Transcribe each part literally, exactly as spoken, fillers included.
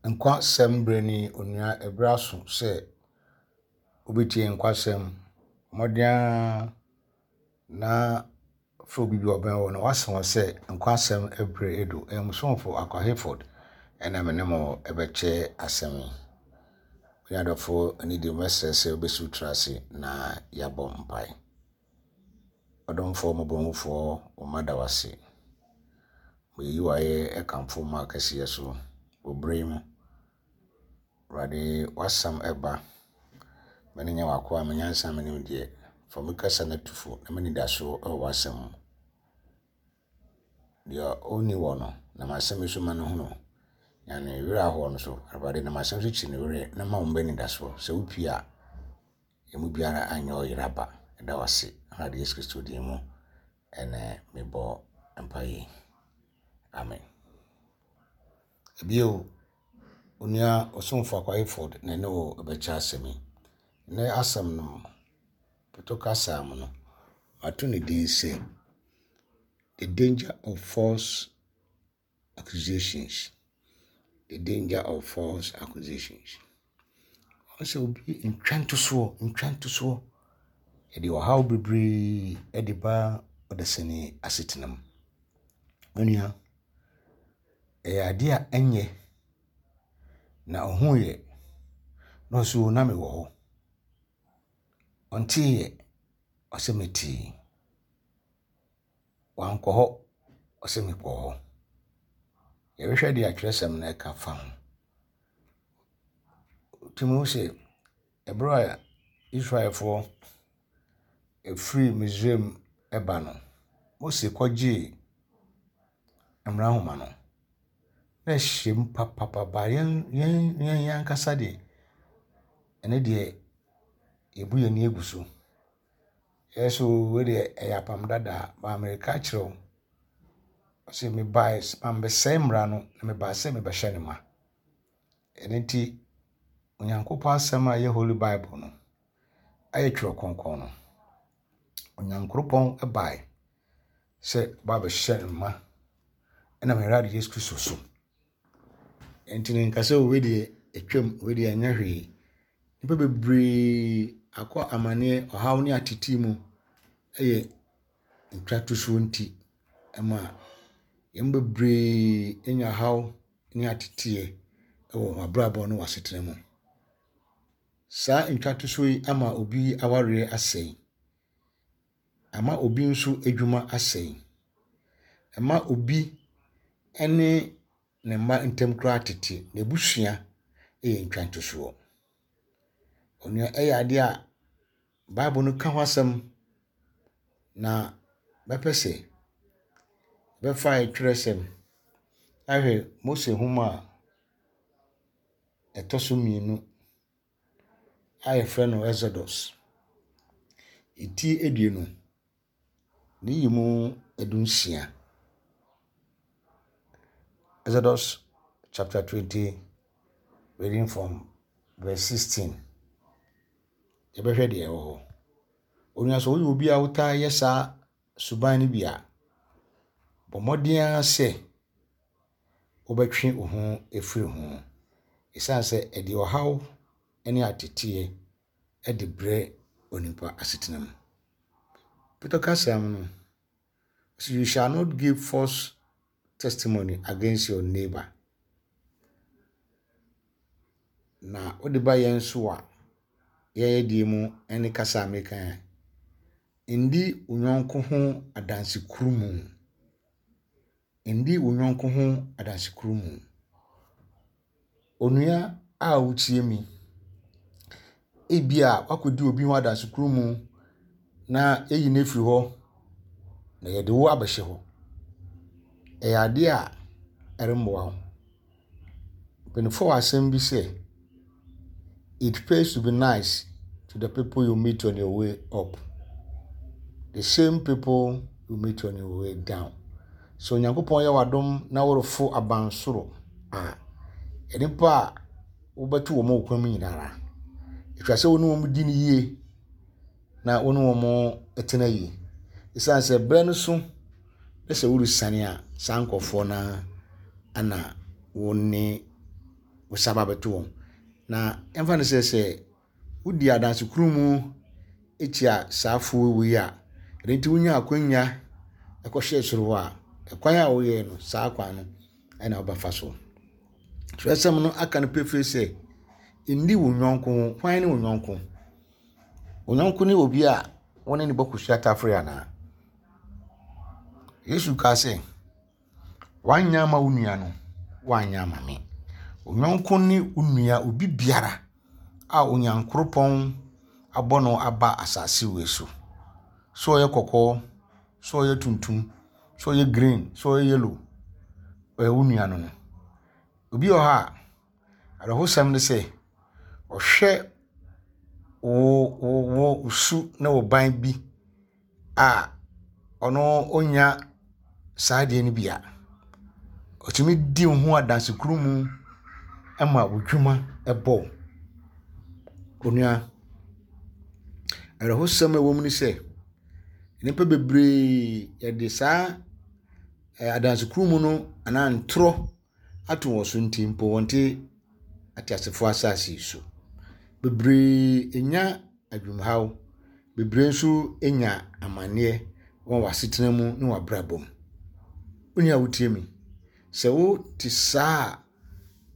Nkwasɛm berɛ ni onua ɛberɛ aso sɛ wobɛtie nkwasɛm. Mmɔden ara na frɛ obi bi a ɔbɛn wo na wasa wɔ sɛ nkwasɛm berɛ edu. Ɛyɛ mo somfo Akwa Hayford ɛna me ne mo ɛbɛkyɛ asɛm yi. Me adɔfo ani deɛ mɛsrɛ sɛ wobɛsi wo tiri ase na yɛabɔ mpae. Ɔdomfoɔ mmɔborɔhufoɔ, wo mma da wo ase. Meyi wo ayɛ ɛkamfo ma kɛseɛ so wɔ berɛ yi mu. Awurade w'asɛm ɛba. Mene nyɛ w'akoa me nyansa me nimdeɛ. Fa me kasa no atu fo na m'anidasoɔ ɛwɔ w'asɛm mu. Deɛ ɔnni wɔ no, na m'asɛm yi so ma no hunu. Na ne werɛ ahoɔ no so, Awurade nam asɛm so kyi ne werɛ na ma wo mma anidasoɔ. Sɛ wopie a, emu biara anyɛ ɔyera ba. Ɛda wo ase. Awurade Yesu Kristo din mu ɛnɛ mebɔ mpaeɛ. Amen. Bio, onua ɔsomfo Akwa Hayford na ɛne wo bɛkyɛ asɛm yi. Nnɛ asɛm no, Pɔtɔ kasa mu no, mato ne din sɛ The Danger of False Accusations. The Danger of False Accusations. Ɔsɛ obi ntwa ntosoɔ, ntwa ntosoɔ. Yɛde ɔhaw bebree de ba ɔdasani asetena mu. Onua, ɛyɛ adeɛ a ɛnyɛ na ɔhuiɛ na ɔsɛ o na mewɔ hɔ. Ɔnteeɛ, ɔsɛ metee. Wankɔ hɔ, ɔsɛ mekɔɔ hɔ. Yɛbɛhwɛ deɛ atwerɛsɛm no ɛka fa ho. Tumi hu sɛ ɛberɛ a Israelfoɔ ɛfiri Misraim ɛba no, Mose kɔgyee mmara nhoma no, na ɛhyɛ mu papapapa. Yɛn yɛn yɛn ankasa deɛ, ɛno deɛ yɛbu yɛn ani agu so. Ɛyɛ so wei deɛ ɛyɛ apam dada ba mmerika kyerɛ wo. Ɔsɛ mebae mambɛsɛe mmara no na mebaa sɛ mebɛhyɛ no ma. Ɛno nti, Onyankopɔn asɛm a ɛyɛ Holy Bible no, ayɛ twerɛ kronkron no, Onyankopɔn bae sɛ ɔba abɛhyɛ no ma ɛnam Awurade Yesu Kristo so. Nti no nka sɛ wei deɛ atwam, wei deɛ ɛnyɛ hwee. Nnipa bebree akɔ amanneɛ, ɔhaw ne atete mu ɛyɛ ntwatosoɔ nti ɛma yɛn bebree anya haw ne ateteɛ ɛwɔ wɔn abrabɔ ne wɔn asetena mu. Saa ntwatosoɔ yi ama obi awareɛ asɛe. Ama obi nso adwuma asɛe. Ɛma obi ne ne mma ntam koraa tete. N'abusua yɛ ntwantosoɔ. Onua ɛyɛ adeɛ a Bible no ka ho asɛm na bɛpɛ sɛ bɛfa twerɛsɛm ahwɛ Mose nhoma a ɛtɔ so mmienu a yɛfrɛ no Exodus. Eti aduonu, ne yi mu dunsia. Exodus chapter twenty, reading from verse sixteen. Yɛbɛhwɛ deɛ ɛwɔ hɔ. Onua sɛ woyɛ obi a wotaa yɛ saa suban no bi a, bɔ mmɔden ara sɛ wobɛtwe wo ho afiri ho. Ɛsiane sɛ ɛde ɔhaw ne ateteɛ de brɛ onipa asetena mu. Peter kasa mu no, so you shall not give false testimony against your neighbor. Na wode ba yɛn so a, yɛyɛ deɛ mu ne kasa a meka yi, ndi wo yɔnko ho adansekurumu. Ndi wo yɔnko ho adansekurumu. Onua a wotie mi, ebia wakɔdi obi ho adansekurumu na eyi no afiri hɔ na yɛde wo abɛhyɛ hɔ. Ɛyɛ adeɛ a ɛremmoa wo. Mpanimfoɔ wɔ asɛm bi sɛ, it pays to be nice to the people you meet on your way up. The same people you meet on your way down. So Onyankopɔn yɛ w'adom na worefo abansoro a, nnipa a wobɛto wɔn wɔ kwan mu nyinara, ɛtwa sɛ wo ne wɔn di no yie na wo ne wɔn tena yie. Ɛsiane sɛ berɛ no so na sɛ woresiane a, saa nkurɔfoɔ no ara na wo ne Wosan ba abɛto wɔn. Na yɛmfa no sɛ sɛ wodi adansekurumu tia saa afoɔ wei a, ɛno nti wonya akwanya kɔhyɛɛ soro hɔ a, ɛkwan a woyɛɛ no, saa kwan no ɛna wobɛfa so. Twerɛsɛm no aka no pefee sɛ, nni wo yɔnko ho. Hwan ne wo yɔnko? Wo yɔnko ne obi a wo ne no bɔ kosua tafere anaa? Yesu kaa sɛ, woanyɛ ama wo nua no, woanyɛ ama me. Wo yɔnko ne wo nua obi biara a Onyankoropɔn abɔ no aba asase wei so. Sɛ ɔyɛ kɔkɔɔ, sɛ ɔyɛ tuntum, sɛ ɔyɛ green, sɛ ɔyɛ yellow, ɔyɛ wo nua no no. Obi wɔ hɔ a, awerɛhosɛm ne sɛ, ɔhwɛ wo wo wo su ne wo ban bi a ɔno ɔnya saa adeɛ no bi a, ɔtumi di wo ho adansekurumu ma wo dwuma bɔ wo. Onua, awerɛhosɛm a ɛwɔ mu ne sɛ, nnipa bebree yɛde saa adansekurumu no anaa ntorɔ ato wɔn so nti mpo wɔnte ateasefoɔ asase yi so. Bebree nya adwumhaw, bebree nso nya amanneɛ wɔ wɔn asetena mu ne wɔn abrabɔ mu. Wo nua a wotie me, sɛ wote saa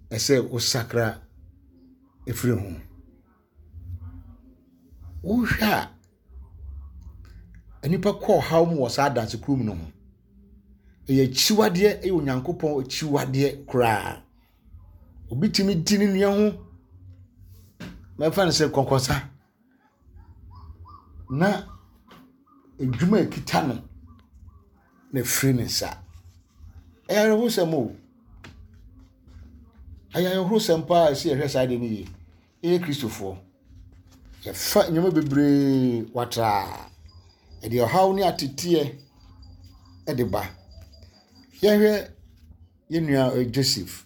a, ɛsɛ wosakra ɛfiri ho. Wohwɛ a, nnipa kɔ ɔhaw mu wɔ saa adansekurum no ho. Ɛyɛ akyiwadeɛ, ɛyɛ Onyankopɔn akyiwadeɛ koraa. Obi tumi di ne nua ho, mɛfa no sɛ kɔnkɔnsa, na edwuma a ekita no na efiri ne nsa. Ɛyɛ awerɛhosɛm o. Ɛyɛ awerɛhosɛm paa a ɛsɛ yɛhwɛ saa adeɛ no yie. Yɛyɛ Kristofoɔ. Yɛfa nneɛma bebree watraa. Ɛde ɔhaw ne ateteɛ ɛde ba. Yɛhwɛ yɛn nua Joseph.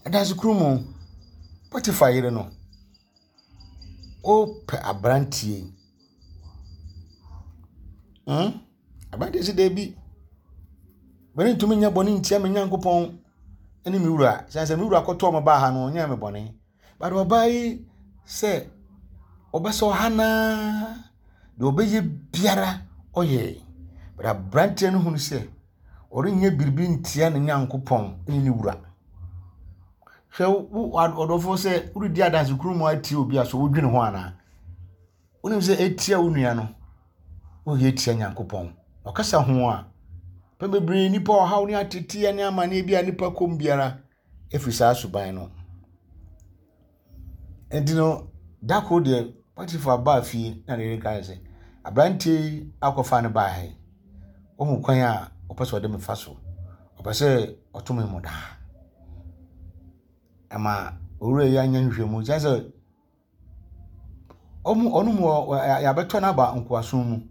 Adansekurumu, Potiphar yere no, ɔrepɛ aberanteɛ yi. Hmm? Aberanteɛ sɛ daabi. Merentumi nyɛ bɔne ntia me Nyankopɔn ne me wura. Sɛ sɛ me wura kɔtɔɔ me baa ha no, ɔnyɛɛ me bɔne. But ɔbaa yi sɛ ɔbɛsɛ ɔha naa deɛ ɔbɛyɛ biara ɔyɛ. But aberanteɛ no hunu sɛ ɔrenyɛ biribi ntia ne Nyankopɔn ne ne wura. Hwɛ wo ɔdɔfoɔ sɛ woredi adansekurumu atie obi a so wodwene ho anaa? Wonim sɛ etia wo nua no, woyɛ tia Nyankopɔn. Ɔkasa ho a, pɛn bebree nnipa ɔhaw ne ateteɛ ne amanneɛ bi a nnipa kɔm biara ɛfiri saa suban no. Nti no, da koro deɛ Potiphar baa fie na ne yere kae sɛ, aberanteɛ yi akɔfa no baa ha yi, wohu kwan a ɔpɛ sɛ ɔde me fa so. Ɔpɛ sɛ ɔto me mmɔdaa. Ɛma owura yi anya nhwehwɛmu kyerɛ sɛ ɔmo ɔno mu yɛabɛtɔ no aba nkoasom mu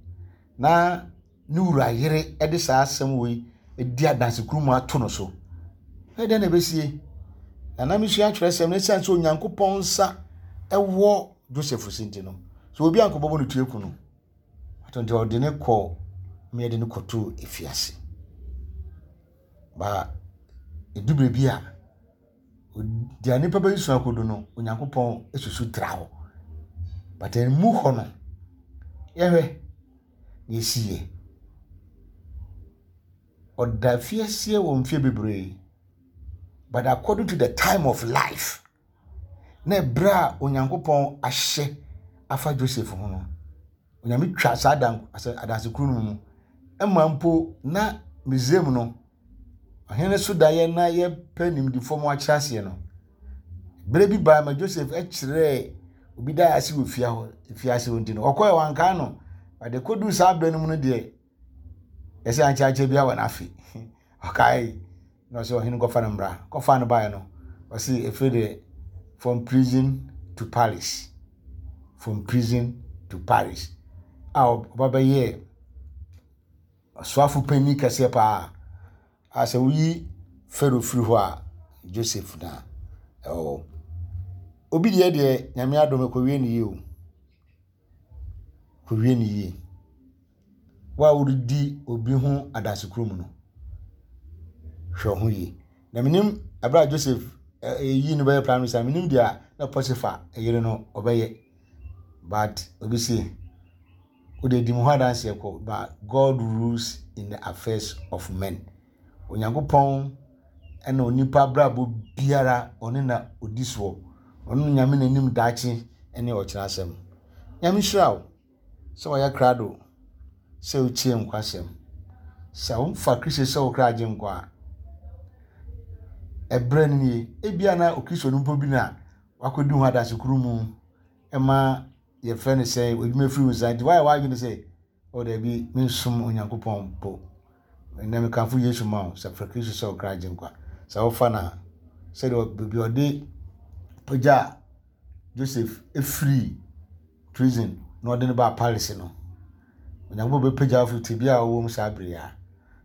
na ne wura yere de saa asɛm wei di adansekurumu ato no so. Ɛdɛn na ɛbɛsie? Na na mesua atwerɛsɛm no ɛsiane sɛ Onyankopɔn nsa ɛwɔ Joseph so nti no, so obi ankɔbɔbɔ no tue ku no. Ato nti ɔde ne kɔ ma yɛde no kɔtoo efiase. Ba edu baabi a deɛ nipa bɛyi akɔdu no, Onyankopɔn susu tra hɔ. But emu hɔ no, yɛhwɛ na esi yɛ. Ɔda afiase wɔ mfeɛ bebree. But according to the time of life, na ɛberɛ a Onyankopɔn ahyɛ afa Joseph ho no, Onyame twa saa adan adansekuru no mu. Ɛma mpo na Misraim no, ɔhene so daeɛ na yɛpɛ nimdifoɔ ma wakyerɛ aseɛ no, berɛ bi baa ma Joseph kyerɛɛ obi daeɛ ase wɔ fie hɔ fiase hɔ nti no, ɔkɔɛ wankaa no. Ɔde kɔduu saa berɛ no mu no deɛ, yɛsɛ ankyɛankyɛ bi wɔ n'afe. Ɔkae na ɔsɛ ɔhene kɔfa no mmra. Kɔfa no baeɛ no, ɔse ɛfiri deɛ from prison to palace. From prison to palace. A ɔba bɛyɛɛ ɔsoafo panyin kɛseɛ paa. A sɛ woyi Pharaoh firi hɔ a, Joseph na ɛwɔ hɔ. Obi deɛ deɛ Nyame adom ɛkɔwie ne yie o. Kɔwie ne yie. Wo a woredi obi ho adansekurumu no, hwɛ wo ho yie. Na menim ɛberɛ a Joseph ɛyi no bɛyɛ prime minister, menim deɛ na Potiphar yere no ɔbɛyɛ. But obi se, wode di mu ho adanseɛ kɔ, but God rules in the affairs of men. Onyankopɔn ɛna onipa abrabɔ biara ɔne na odi soɔ. Ɔno Nyame n'anim daakye ne ɔkyena asɛm. Nyame hyira wo sɛ wɔyɛ krado sɛ wotie nkwasɛm. Sɛ womfa Kristo sɛ wo kra agye nkwa a, ɛberɛ no nie. Ebia na Okristo no mpo bi na wakɔdi ho adasekuru mu ɛma yɛfrɛ no sɛ odwuma firi wo nsa nti woayɛ w'adwene sɛ o dabi, mensom Onyankopɔn mpo. Ɛnɛ mekamfo Yesu ma wo sɛ frɛ Kristo sɛ wo kra agye nkwa. Sɛ wofa no a, sɛdeɛ baabi a ɔde pagya Joseph efiri prison na ɔde no baa palace no, Onyankopɔn bɛpagya wo firi tebea a wɔwɔ mu saa bere yi a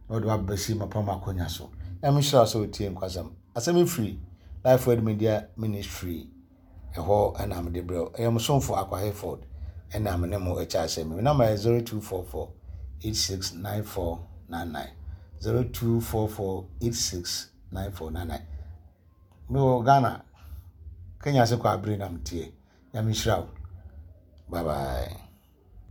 na ɔde wabɛsi mapam akonnwa so. Nyame hyira wo sɛ wotie nkwasɛm. Asɛm yi firi Life Word Media Ministry ɛhɔ ɛna mede brɛ wo. Ɛyɛ mo somfo Akwa Hayford ɛna me ne mo ɛkyɛ asɛm. Me number yɛ zero two four four eight six nine four nine nine, zero two four four eight six nine four nine nine. Mewɔ Ghana, Kenya ase kɔ abere na meteɛ. Nyame hyira wo. Bye bye.